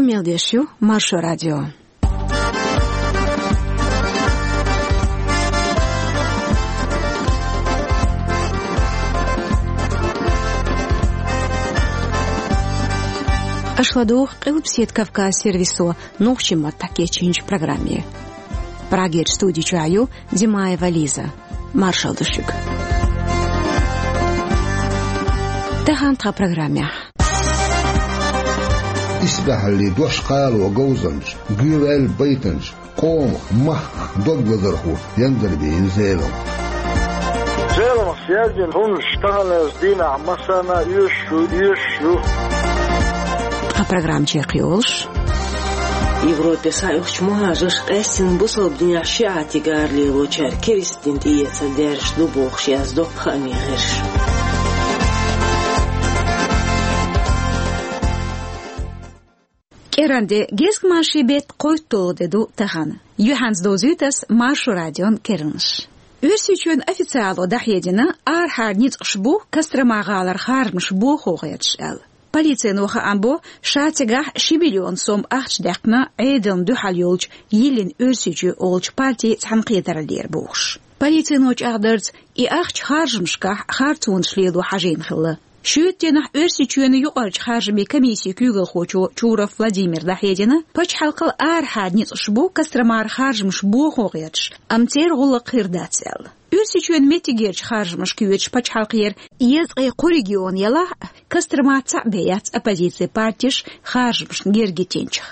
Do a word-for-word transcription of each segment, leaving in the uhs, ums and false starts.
Мел деш ю Маршо радио. Аша ладугӀу Къилбаседа Кавказ сервисо нохчийн маттахь кечйинчу программе. Прагерчу студи чохь ю Димаева Лиза. Маршалла ду шуьга. Тахана тхан программехь. Исбаьхьаллин дош кхало говзанча, гуьйваьлла байтанча, къомах, махках дог лазархо Яндарбиев Зелам. Зеламах яздина хӀуманаш таханлерчу дийнахь массарна а оьшуш ю, оьшуш ю. Тхан программа чекхйолуш. Европе схьаоьхучу мухӀажарша къаьстина бусалба динехь шиӀатиг ара лелочара керста дин тӀеэцар даьржаш ду бохуш яздо хаамийн гӀирсаша. КӀиранде, гезгмашин беттан кхойтталгӀа де ду тахана. Юьхьанца довзуьйту ас Маршо радион керланаш. Оьрсийчоьнан официало дӀахьедина, арахьара ницкъаш бу Кострома-гӀалара харжамаш бохо гӀерташ аьлла. Полицино хаам бо, ша цигахь ши миллион сом ахча даьккхина Ӏедална дуьхьал йолчу «Йиллина Оьрсийчоь» олучу партин цхьаьнакхетараллера бохуш. Полицино чӀагӀдарца, и ахча харжамашкахь харцонаш лело хьажийна хилла. Шоьтан дийнахь Оьрсийчоьнан юкъарчу харжамийн комиссин куьйгалхочо Чуров Владимира дӀахьедина, пачхьалкхал арахьара ницкъаш бу Костромара харжамаш бохо гӀерташ, амма церан гӀуллакх хир дац аьлла. Оьрсийчоьнан меттигерчу харжамашка кхоьруш пачхьалкхера езткъе кхо регион елахь а, Костромара цхьаъ бен яц оппозицин партеш харжамашна герга йитинчех.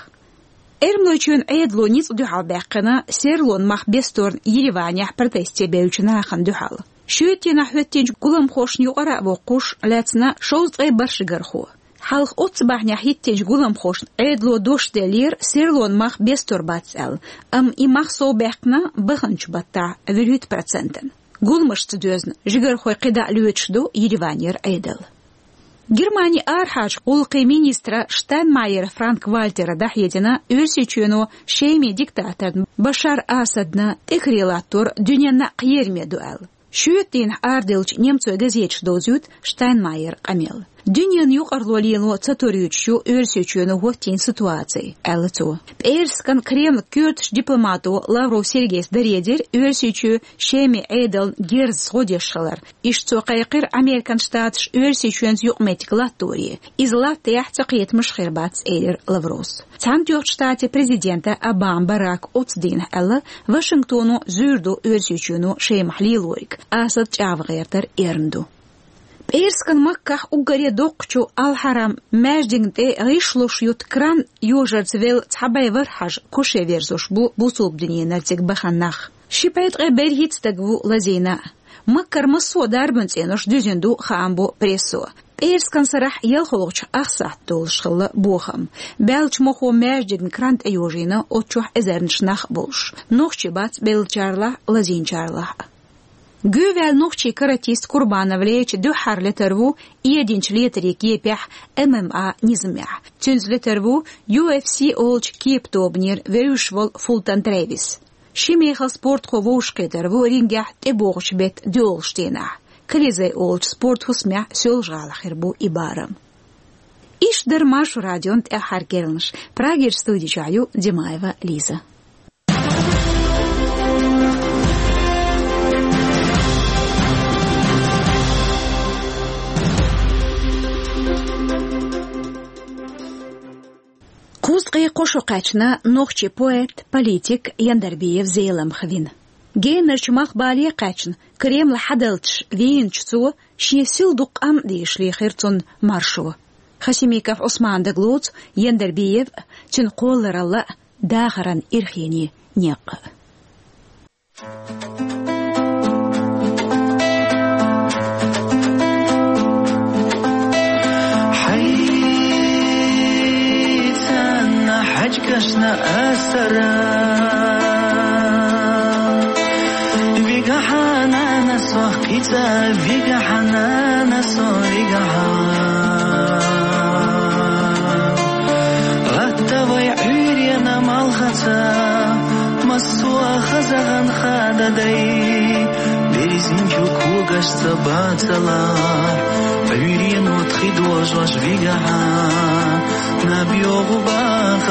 Эрмалойчоьнан Ӏедало ницкъ дуьхьал баьккхина серлонан мах бесторна Ереванехь протесте бевллачу нахана дуьхьал. Шоьтан дийнахь хӀоьттинчу гуламхошна юкъара а воккхуш, лаьцна шовзткъе бархӀ жигархо. Хьалха оццу бахьанехь хӀиттинчу гуламхошна Ӏедало дош деллера серлонан мах бестор бац аьлла, амма и мах совбаьккхина баханчу баттахь вуьрхӀитта процентана. Гуламашца доьзна жигархой кхидӀа а лоьцуш ду Ереванера Ӏедал. Германин арахьарчу гӀуллакхийн министра Штайнмайер Франк-Вальтера дӀахьедина, Оьрсийчоьно Шеман диктаторна Башар Асадна тӀекаре латтор дуьненна а кхераме ду аьлла. Шоьтан дийнахь араделлачу немцойн газеташа довзуьйту Штайнмайеран къамел. Дуьненан юкъарло лело ца торуьйтуш ю Оьрсийчоьно хӀоттийна ситуаци, аьлла цо. ПӀераскан Кремлан коьртачу дипломато Лавров Сергейс даре дира Оьрсийчоь Шеман Ӏедална герзаца гӀо деш хилар. Иштта цо кхайкхира Американ Штаташ Оьрсийчоьнца юкъаметтиг латторе. Иза латтаяхь, цакхетамаш хир бац, элира Лавровс. Цхьаьнатоьхначу Штатийн президента Обама Барака оццу дийнахь аьлла, Вашингтоно зуьйр ду Оьрсийчоьно Шемахь лелориг, Асад чӀагӀван гӀертар эрна ду. ПӀераскан Маккахь уггаре доккхачу Ал-Хьарам маьждигна тӀе гӀишлуш ютта кран йожарца велла цхьа бӀе ворхӀ хьажа куше верзош бу бусалба динера цига бахана нах. Ши бӀе ткъе берхӀитта стаг ву лазийна. Маккара массо а дарбан цӀенош дуьзина ду, хаам бо прессо. ПӀераскан сарахь ялхалгӀачу ах сахьт долуш хилла бохам. Баьллачу мохо маьждигна кран тӀейожийна, оцу чохь эзарнаш нах а болуш. Нохчий бац беллачарлахь а, лазийначарлахь а. Гуьйваьлла нохчийн каратист Курбанов Леча дуьххьара летар ву эдинчу летарийн кепехь, М М А низамехь. Цуьнца летар ву Ю Эф Си олучу кепа тобанера вевзаш волу Фултон Трэвис. Ши мехала спортхо вовшахкхетар ву рингехь тӀебогӀучу беттан доьалгӀачу дийнахь. Колизей олучу спорт хӀусамехь Соьлжа-ГӀалахь хир бу и барам. Иштта дара Маршо радион тӀаьххьара керланаш. Прагерчу студи чохь ю Димаева Лиза. Кхузткъе кхо шо кхаьчна нохчийн поэт, политик Яндарбиев Зелам хвина. Генарчу малхбале кхаьчна, Кремль хьадалчаш вийначу цо шен сил дукха къам а дешале хир цунна маршо. Хасимиков Ӏусмана дагалоцу Яндарбиев а, цуьнан кхолларалла а, дахаран ирхенийн некъ а. Хьайцанна хьаьжкӀашна асара, вигахьа нана сох кхица, вигахьа нана со вигахьа. Гатта вай Ӏуьйренан малхаца, массо а хаза гӀан хада дай, берзинчу когашца бацалахь, Ӏуьйрено тхи дожош вигахьа, наб йогӀу баха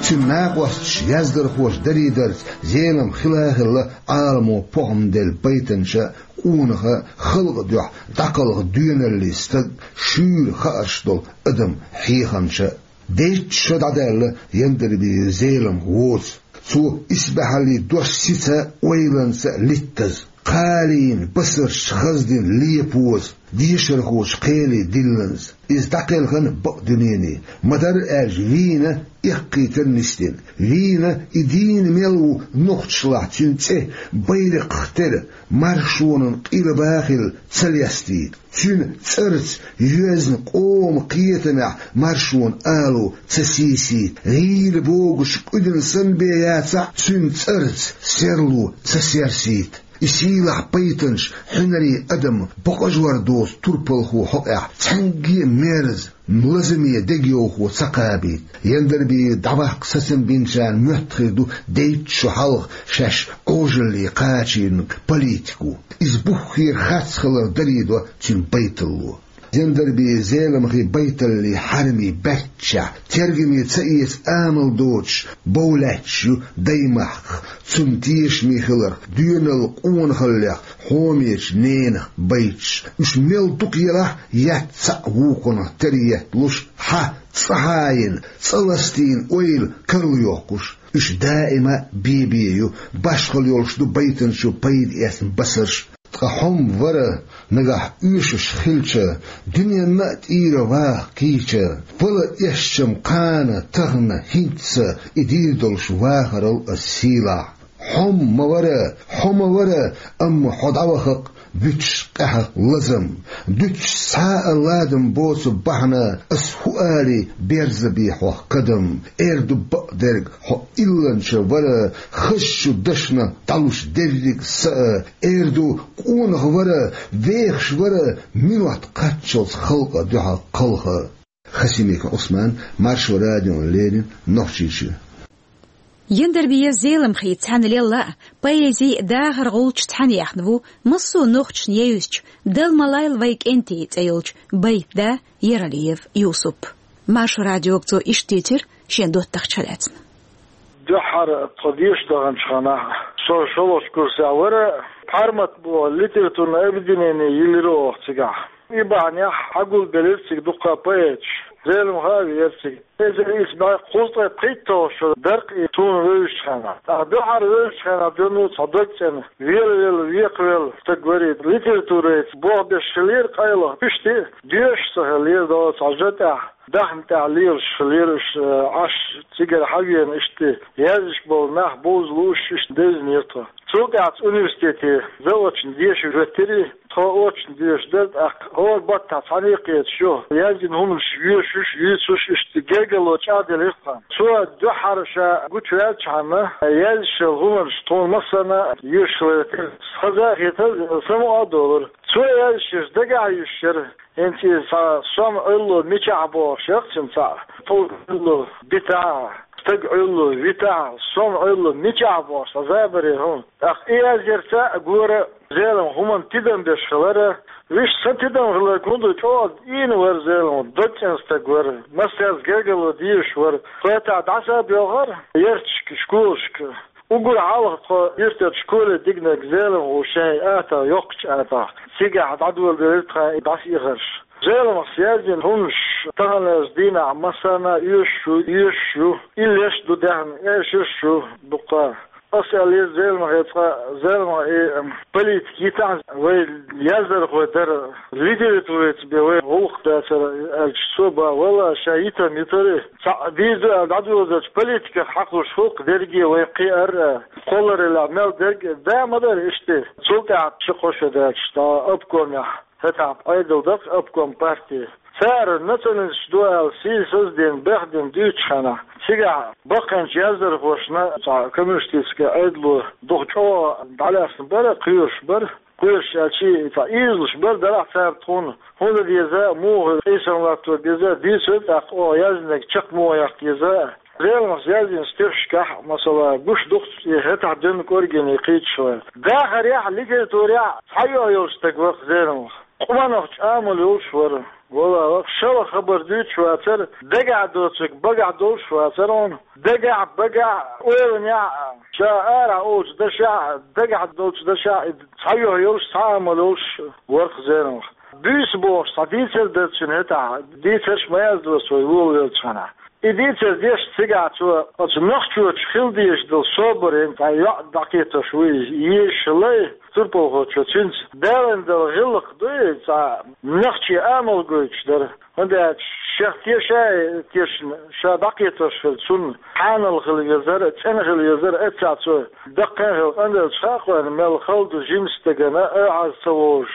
Цуьнан накъосташ, яздархоша дарий дарца, Зелимха хила а хилла, Ӏаламо похӀма делла байтанча, къонаха, халкъа дуьхьа дӀакхалха доьналлин стаг, шуьйра хаарш долу адам хьехамча. Дейтта шо дӀадаьлла Яндарбиев Зелимха воцу. Цо исбаьхьаллин дош сица а, ойланца а литтаза, кхалийна басаршца хаздина лепоза, дешархочун кхеле дилланза. Иза дӀакхелхина бакъдуьнене, ма-дарра аьлча, вийна эккхийтар нисдина. Вийна и дийна мел ву нохчашлахь цуьнан цӀе, байракхах тера, маршонан къилба хилла ца лестийта. Цуьнан цӀарца йоьзна къоман кхетамехь маршонан ало ца сийсийта. ГӀийла богуш къуьдина санна бен яцахь, цуьнан цӀарца серло ца серсийта. И сийлахь байтанаш хьуьнарийн адам бакъажор доцу турпалхо хьокъехь цхьаьнгге а мерза, лазаме дегайовхо ца кхабийта. Яндарбиев дӀаваккха сацам бинчарна моьтту хир ду дейтта шо хьалха шаьш Ӏожалле кхачийнарг политико. Иза буххера харц хилар дарий до цуьнан байталло. Яндарбиев Зелимхин байталлин хьарамийн баьччехь, тергаме ца эца амал доцуш бов лаьтташ ю даймахках, цунна тешаме хиларх, доьналла къонахаллех хьомечу ненах байташ. Уьш мел дукха елахь а, етта цхьаъ вукхунах тера етталуш, хьан цӀа хьаийна, цӀа ластийна ойла карла йоккхуш. Уьш даима а бен-бен ю, башхалла йолуш ду байтанчо пайда эцна басарш. Ткъа хьо ма вара, нагахь оьшуш хилча, дуьненна а тӀера ваха кийча, вала эшча-м кхана, тахана, хӀинцца и дийр долуш вахарал ас сийлахь. Хьо ма вара, хьо ма вара, амма хьо дӀаваха-кх буьтуш къаьхьа лазам. Дуьтуш цхьа а ладам боцу бахьана, ас хӀу алий, берзабе хьох кадам. Эр ду бакъдерг хьо илланча вара, хазачу дашна дӀалуш дерриг са а. Эр ду къонах вара, вехаш вара, минот кхаччалц халкъан дуьхьа кхалха. Хасимиков Ӏусман, Маршо радиона леррина, Нохчийчоь. Яндарбиев Зелимхин цхьаьна лелла а, поэзи а дахар гӀулч цхьаьна яьхна ву массо а нохчашна евзачу «Дала ма лайла вайн кӀентий» цӀе йолчу байтда Яралиев Юсуп. Маршо радиога цо иштта дийцира шен доттагӀчух лаьцна. Дуьххьара тхо деша даханчу хенахь, со шолгӀачу курсехь вара, Пхьармат боху литературное объединение йиллира оха цигахь. И бахьанехь хьагулбелира цига дуккха поэташ. Зелимха а веара цига. Эзар ийс бӀе кхузткъе пхийтталгӀа шо дара-кх и суна вевзачу хенахь. ТӀаккха дуьххьара вевзачу хенахь дуьйна цхьа дог цӀена, велавелла, векхавелла стаг вара и. Литературица болх беш хиллера къайлаха, иштта доьшуш ца хиллера, дала цхьа жа тӀехь, даьхна тӀехь лелаш хиллера уьш, э, Ӏаш цигара хьавеана, иштта язъеш болу нах бовза лууш, иштта девзинера тхо. Цул тӀаьхьа университете заочно деша хӀоьттира, тхо очно деша дара, тӀаккха хӀора баттахь цхьаьна а кхеташ ю, яздина хӀуманаш йоьшуш, юьйцуш, иштта гергарло чӀагӀделира тхан. Цо дуьххьара ша гучуваьллачхьана, яздеш йолу хӀуманаш тхуна массарна а йоьшуш хилла, хаза а хетара, самукъа а долура. Цо яздеш дагахь а йуьсуш яра. ХӀинца иза цхьа сом Ӏуьллу мичахь бохуш яра цуьнан цхьаъ, тхов Ӏуьллу битахь, стаг Ӏуьллу витахь, сом Ӏуьллу мичахь бохуш цхьа забаре хӀума. ТӀаккха и язъярца а гора Зелимха хӀуманна тидам беш хилар. Вуьш сан тидам хиларг хӀун ду, чӀогӀа ийна вара Зелимха, дог цӀена стаг вара, массаьрца гергарло дезаш вара. Тхо хӀетахь дӀаса а боьлхура ярташка, школашка. Уггар хьалха тхо юьртара школе дигнарг Зелимха ву шен атагӀа, йоккхачу атагӀа. Цигахь дӀадоладелира тхан и дӀасаихарш. Зелимхас яздина хӀуманаш таханлерчу дийнахь массарна а оьшуш ю, оьшуш ю. Иллеш а ду даьхна, эшарш а ю дуккха. Аса аьллера Зелимхе цкъа, Зелимха, и, м, политика йитахь, вай яздархой дара, литературица бен вай гӀуллакх дацара аьлча, цо боху, валлахӀи, ша йитам йитара. Цхьаъ дийр ду аьлла дӀадоладелча политиках хьакхалуш хӀокху дерриге вай кхиар а, кхоллараллехь мел дерг а да ма дара иштта. Цул тӀаьхьа ши-кхо шо даьлча, тхан обкомехь, хӀетахь Ӏедал дара-кх, обком партии. Цара националисташ ду аьлла сийсаз а дина, бехдина дуьйцучу хенахь, цигахь баккхийчу яздархошна цхьа коммунистический Ӏедало дукха чӀогӀа дӀалаьцна бара, кхоьруш бара. Кхоьруш аьлча, цхьа ийзалуш бара, дарахь цара тхуна хӀун дан деза а, муха къийсам латто беза а, дуьйцура тӀаккха оха яздинарг чекх муха яккха деза а. Зелимхас яздина стихашкахь, масала, гуш ду-кх и хӀетахь дуьйна кӀоргене кхийтта шо. Дахарехь а, литературехь а цхьа юьхь йолуш стаг вара-кх Зелимха. Къонахчу амал йолуш вара. Валлахь, шала хабар дуьйцуш вацара, дагахь доцург багахь долуш вацара хьуна. Дагахь, багахь, ойланехь, ша арахь олучу дашехь, дагахь долчу дашехь, и цхьа юьхь йолуш, цхьа амал йолуш вара-кх Зеламха. Буьйса бохуш цхьа дийцар дара цуьнан хӀетахь, дийцарш ма яздо со вуьйцуш веллачу хенахь. И дийцар деш цигахь цо оцу нохчочух хила дезаш долу собар, цхьа йоӀ дӀакхетош ву иза, езаш лай турпалхочо цуьнца далийна долу гӀиллакх ду и, цхьа нохчийн амал гойтуш дара. ХӀунда аьлча шех тешай тешна, ша дӀакхетош хилла, цунна хьанал хила везара, цӀена хила везара, эццахь цо даккхий хилла къинделлачу хьакъехь мел хала ду жимачу стагана, оьгӀаз ца вовзуш,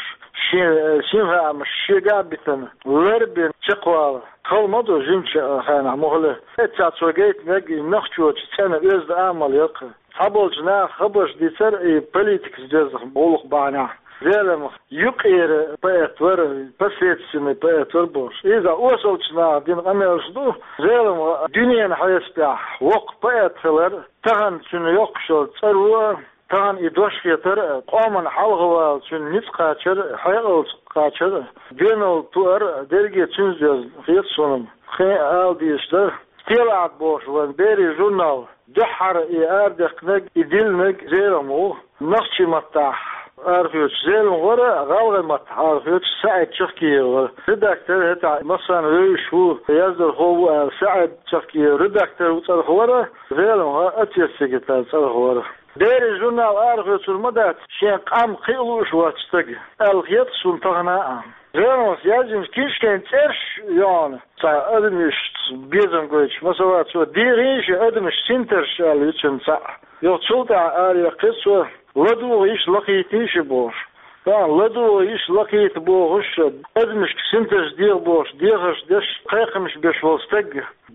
шен синхаамаш шегахь а битина, лар а бина чекхвала. Хала ма ду жимачу хенахь муххале. Эццахь цо гайтинарг и нохчочун цӀена оьзда амал яра-кх. Цхьаболчу наха хабарш дийцара и политикаца доьзна гӀуллакх бахьанехь. Зеламха юккъера поэт вара, посредственный поэт вара бохуш. Иза осалчу наха дина къамелаш ду. Зеламха дуьненан хьесапехь воккха поэт хилар, тахана цуьнан йоккхуш йолу цӀаро, тахана и дош хетар, къоман хьалхавала цуьнан ницкъ кхачар, хьекъалца кхачар, доьналла тоар дерриге цуьнца доьзна хета суна-м. Кхин а ала дезаш дара. Стелаат бохуш вайн берийн журнал дуьххьара и арадаьккхинарг, и диллинарг Зеламха ву. Нохчийн маттахь арахоьцуш Зеламха вара, гӀалгӀайн маттахь арахоьцуш СаӀид Чахкиев вара. Редактор хӀетахь массарна вевзаш ву, яздархо ву аьлла, СаӀид Чахкиев редактор ву цӀарах вара, Зеламха отец секретарь цӀарах вара. Берийн журнал арахоьцур ма дац шен къам кхиа лууш воцу стаг аьлла хета суна тахана а. Зеламхас яздинчу книжкийн цӀераш йогӀу цхьа адамашца безам гойтуш, масала, цо дийцина ши адамаш синтарш аьлла ю цуьнан цхьаъ. Юха цул тӀаьхьа ара яьккхира цо, ладугӀу йиш, лакхийта йиш бохуш. Тахана ладугӀу йиш, лакхийта бохуш, адамашка синтарш деха бохуш, дехарш деш, кхайкхамаш беш волу стаг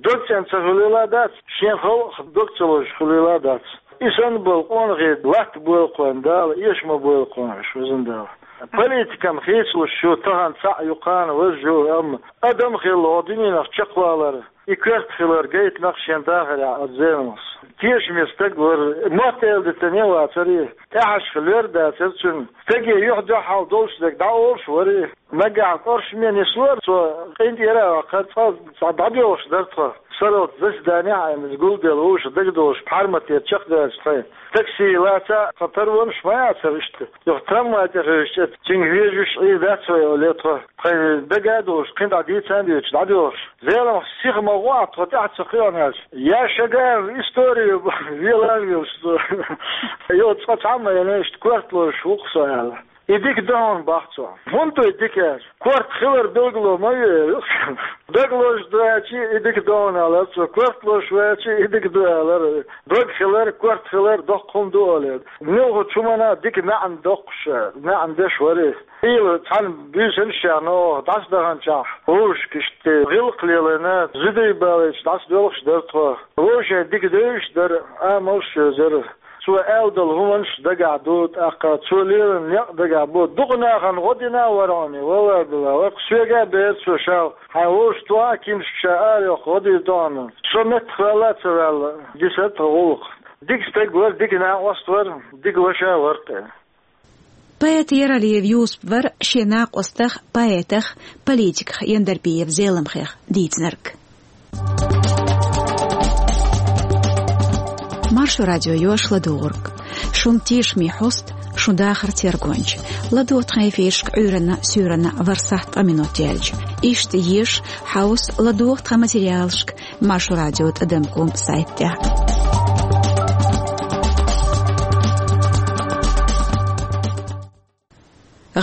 дог цӀена ца хуьлийла а дац, шен халкъах дог ца лозуш хуьлийла а дац. И санна болу къонахий латта бойла кхунна Дала, эша ма бойла кхунна уьш, везан Дала. Политикана хийцалуш ю тахана цхьаъ, юкъана важа ю, амма адам хилла хӀокху дуьненах чекхвалар, и коьрта хилар гайтина-кх шен дахарехь оцу Зеламхас. Тешаме стаг вара, мотт эладитане а вацара и, тӀаьхьашха лер а дацара цуьнан. Стаге юьхь-дуьхьал долуш дерг дӀаолуш вара и. Нагахь кӀоршаме нислора цо, къинтӀера а ваккхара, цкъа цхьа дӀадоьлхуш дара тхо. Сарралц заседанехь а иза гулделла вовшах дагадолуш, пхьарматера чекхдаьлча тхайн. Такси лаца а, тхан тарванаш ма яцара иштта. Юха трамвай тӀе хевшича, цуьнга вежарий, Ӏийр дац вай олий тхо. Тхайн дага а долуш, кхин дӀа дийца а дуьйцуш, дӀадоьлхуш. Зеламха сиха ма гӀо а, тхо тӀаьхьа ца кхиъна аьлча, я шагар историю велавелаш цо. Йо, цкъа цхьамма а яна, иштта корта лозуш ву-кх со аьлла. И дика ду хьуна, боху цо. ХӀунда ду и дика аьлча? Корта хилар билгало ма ве. Дог лозуш ду аьлча, и дика ду хьуна, аьлла цо. Корта лозуш ву аьлча, и дика ду, аьлла. Дог хилар, корта хилар доккха хӀума ду, олий. Муьлххачу хӀуманна дика маьӀна доккхуш, маьӀна деш вара и. Ийла цхьана буьйсанаш а яьхна оха дӀасадаханчохь, вовшашка иштта гӀиллакх лелийна, зударий балийча дӀасадоьлхуш дара тхо. Вовшийн дика девзаш дара, амалш а йозара. Цо аьлла долу хӀуманаш дагахь ду, тӀаккха цо лелийна некъ дагахь бу. Дукха нахана гӀо дина а вара хьуна, валлахӀи-биллахӀи, вай-кх соьга а бер цо ша, хьайн вовшахтохьа а, кимсашка ша арайоккху гӀо дийр ду хьуна. Со меттахваьлла а ца ваьлла, дисара тхан гӀуллакх. Дика стаг вара, дика накъост вара, дика ваша вара-кх. Поэт Яралиев Юсуп вара шен накъостах, поэтах, политиках Яндарбиев Зеламхех дийцинарг. Маршо радио йош ладугӀург. Шун тешаме хьост, шун дахар тергонча. ЛадогӀа тхан эфирашка Ӏуьйранна, суьйранна ворхӀ сахьт ткъа минот яьлча. Иштта еша, хьовса, ладогӀа тхан материалашка Маршо радио тӀадам ком сайтехь.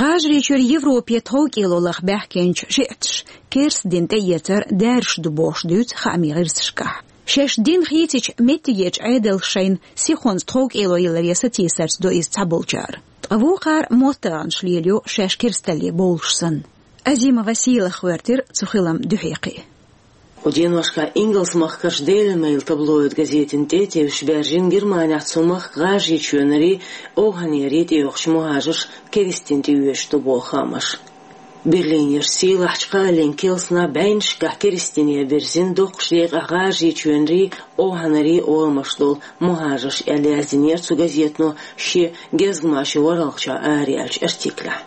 ГӀажарийчуьра Европе тховкӀело лаха баьхкинчу шиъташа керста дин тӀеэцар даьржаш ду бохуш дуьйцу хаамийн гӀирсашкахь. Шаьш дин хийцича меттигерчу Ӏедалша шайна сихонца тховкӀело яларе сатийсарца до иза цхьаболчара. Ткъа вукхара моттаргӀанаш лелайо шаьш керсталле бовлуш санна. Азимова Сийлаха гӀоьртира цу хилам дуьхьа кхин. Кху деношкахь ингалс-махкарчу Daily Mail таблоид газетана тӀе а тевжаш баьржина Германехь цу махка ГӀажарийчоьнарий, овхӀанерий тӀейогӀучу мухӀажарш керстина тӀеоьцуш ду боху хаамаш. Берлинерчу сийлахьчу кхааллин керлаца бӀеннашкахь керстине бирзина доккхачу декъехь ГӀажарийчоьнарий, овхӀанарий орамаш долу мухӀажарш аьлла яздинера цу газето шен гезгмашин ворхӀалгӀачохь араяьллачу артиклехь.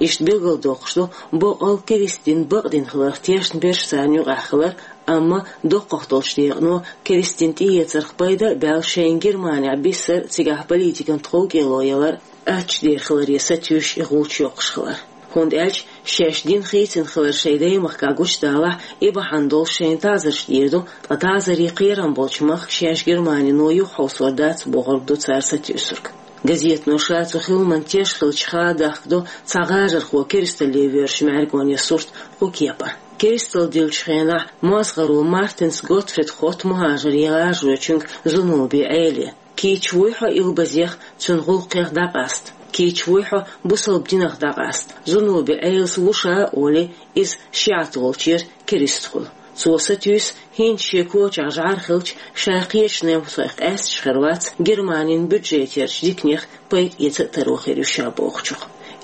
Иштта билгалдоккхуш ду боккъал керста дин бакъдина хиларх тешна берш царна юкъахь хилар, амма доккхах долчу декъано керста дин тӀеэцарх пайда а баьлла шайна Германехь биссар а, цигахь политикан тховкӀело ялар а аттачу дера хиларе сатуьйсуш и гӀулч йоккхуш хилар. ХӀунда аьлча шаьш дин хийцина хилар шайн даймахкахь гучудалахь, и бахьана долуш шайна таӀзарш дийр ду, ткъа таӀзаре кхерам болчу махка шаьш Германино юхахьовсор дац бохург ду цара сатуьйсург. Газетано ша цу хиламан теш хилча хадахка ду цхьа гӀажархо керсталле воьрзучу мӀаьргонан сурт кху кепара. Керсталла диллачу хенахь мозгӀаро Мартенс Готфрид хотту мухӀажаран гӀажарочуьнга Зунуби Ӏеле. Кийча вуй хьо илбазех, цуьнан гӀуллакхех дӀакъаста? Кийча вуй хьо бусалба динах дӀакъаста? Зунуби Ӏелас ву ша а олий, иза шиӀат волчуьра керста хуьлу. Цо сатуьйсу, хӀинца шен кочахь жӀар хилча, ша кхечу немцойх къаьсташ хир вац Германин бюджетерчу диканех пайда эца а таро хир ю ша бохучух.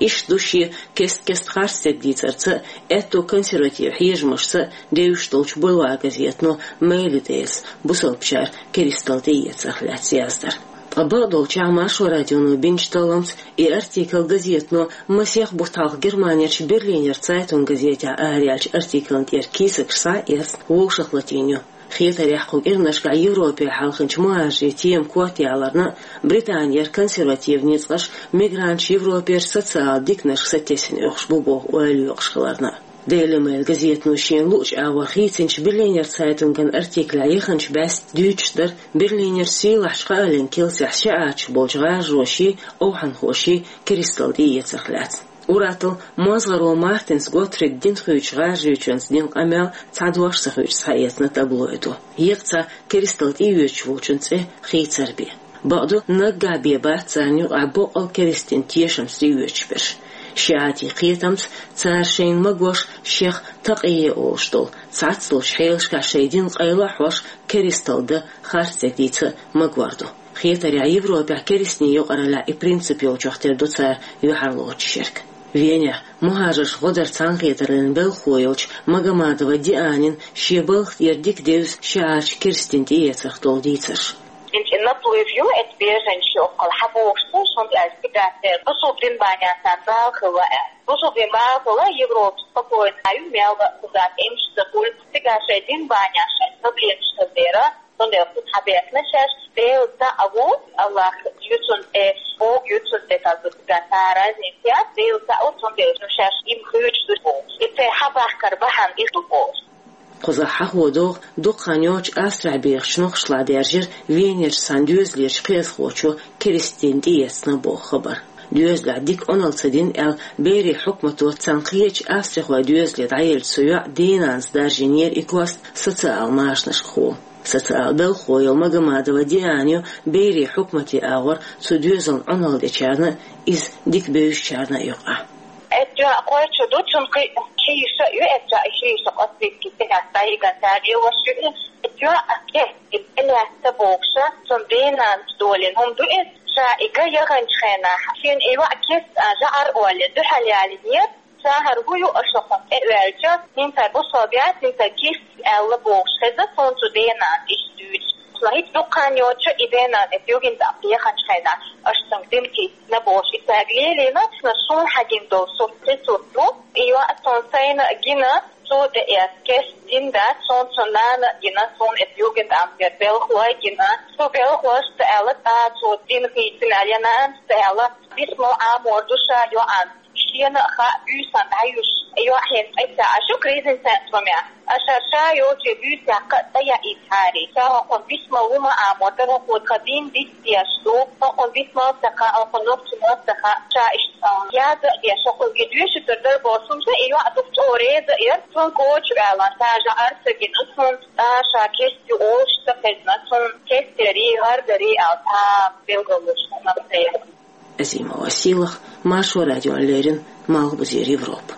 Иштта ду шен кест-кеста харцдерг дийцарца а, аьтту консерватив хьежамашца а девзаш долчу Бульвар газетано Мейли Дейлс бусалбачара керсталла тӀеэцарх лаьцна яздар. Ткъа бакъдолчехь Маршо радионо бинчу талламца и артикл газетано масех бутт хьалха Германерчу Берлинер Цайтунг газетехь араяьллачу артиклан тӀера кийсакаш схьа а эцна, вовшахлатийна ю. Хетарехь, кху кӀиранашкахь Европе хьалхинчу мухӀажарийн тема корта яларна а, Британера консерватив ницкъаш мигранташ Европерчу социалан диканашка сатесна оьхуш бу боху ойла йоккхуш хиларна а. Daily Mail газетано шена луъучу агӀор хийцинчу Берлинер Цайтунган артиклехь яханчу бӀаьста дуьйцуш дара Берлинерчу сийлахьчу хаалин килсехь шиӀаташ болчу гӀажароший, овхӀанхоший керсталла тӀеэцарх лаьцна. Ур-атталла мозгӀаро Мартенс Готфрид дин хуьйцучу гӀажарочуьнца дина къамел цхьа дош ца хуьйцуш схьаэцна таблоидо. Екъа цхьа керсталла тӀеоьцуш волчун цӀе хийцар бен. Бакъду, наггахь бен бац царна юкъахь боккъал керста дин тешамца тӀеоьцуш берш. ШиӀатийн кхетамца цара шайна магош, шех такъийя олуш долу, цхьацца долчу хьелашкахь шайн дин къайла а хьош, керсталла дан харцдерг дийца а магор ду. Хетарехь, Европехь керстийн юкъараллехь и принцип йолчух тера ду цара юьхьарлоцуш ерг. Венехь мухӀажарш гӀо дар цхьаьнакхетарлина белхало йолчу Магомадова Дианин шен балха тӀера дика девза шиӀаташ керста дин тӀеэцарх долу дийцарш. Инчи наплыв ю, эцу беженцаш ю оккхул хьан бохуш ца, шуна аьлча цигахь церан бусулба дин бахьанехь царна бала хилла аьлла. Бусулба дин бала хилла, Европа спокойно ю, мел бан кхузахь эмш ца хуьлу, цигахь шайн дин бахьанехь шайн проблемаш хила дера, цундела кхуза хьан бехна шаьш, Дела цхьаъ ву, Аллах ю цунна тӀе, Бог ю цунна тӀе, тӀаккха цигахь цхьа разница яц, Дела цхьаъ ву, цундела шаьш им хуьйцуш ду боху. И церан хьан бахкар бахьана иш ду боху. Кхузахь хьахо догӀу, дукха хан йоццуш Австрехь бехачу нохчашлахь даьржира Венерчу цхьана доьзалерчу кхиазхочо керста дин тӀеэцна боху хабар. Доьзалехь дика Ӏуналла ца дина аьлла, берийн хьукмато цхьана кхечу австрихойн доьзале дӀаеллачу цу йоӀан денанас даржийнера и кост социалан машанашкахула. Социалан белхало йолу Магомадова Диана ю берийн хьукматан агӀор цу доьзална Ӏуналла дечарна а, иза дика бевзачарна а юкъахь. Эцу йоӀан кхойчу ду, цунна кхин ши йиша а ю, эцу йоӀан ши йиша къаспийски цигахь дӀайигна, цара лелош ю и. Эцу йоӀан кест и тӀелаьцна бохуша, цунна денанас долийна хӀума ду иза. Ша и ган яханчу хенахь, шена и йоӀ кест а жӀар олий, дуьхьал ялийнера. Ша хӀара хӀун ю аша хӀокхунна тӀе а ваьлча, хӀинца бусалба яц, хӀинца керста аьлла бохуш хезна суна цу денанас иштта дуьйцуш. Ма хӀинца дукха хан йоццуш и денана эцу Югендамт яханчу хенахь, аша цуьнга дин кхиссина бохуш и цаьрга лелийна, ма суна хьан гина долу сурт кхин сурт ду. И йоӀ суна сайна а гина, цо тӀеэцна керста дин дац, суна цуьнан нана а гина, суна эцу Югендамтера белхалой а гина. Цу белхалошца аьлла, цкъа цо дин хийцина аьлла, я нанас ца аьлла, бисмал Ӏамор ду ша йоӀана. Шена а хаьа, буьйсанна дӀаюьсуш, йоӀ хӀинца тӀе ца Ӏаш ю кризисный центрумехь. Аша ша йолчу буьйсехь кхаъ ца яийта хьари. Ша хӀокхунна бисмал хӀума Ӏамор дара, хӀокхо тхан дин диц деш ду, хӀокхунна бисмал ца хаьа, хӀокхунна нохчийн маттахь ца хаьа. Ша иштта, а, яза а деш, хӀокхуьнга доьшуьйтур дара бохуш, хӀунда и йоӀ дукха чӀогӀа реза а яра, цунна коча а ваьлла, ша жӀар а ца гина, цунна цкъа ша керста ю олуш ца хезна, цунна керста ярий, гӀар дарий аьлла, цхьа билгалонаш хӀума ца яра. Азимова Сийлаха, Маршо радиона леррина, Малхбузера Европа.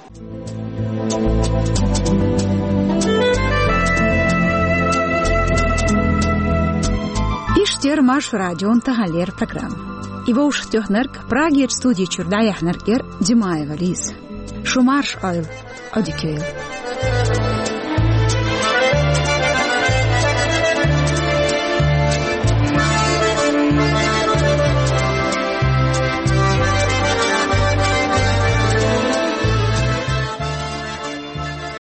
Иштта яра Маршо радион таханлера программа. И вовшахтоьхнарг, Прагерчу студи чуьра дӀаяьхьнарг яра Димаева Лиза. Шу марша Ӏойла, Ӏодика йойла.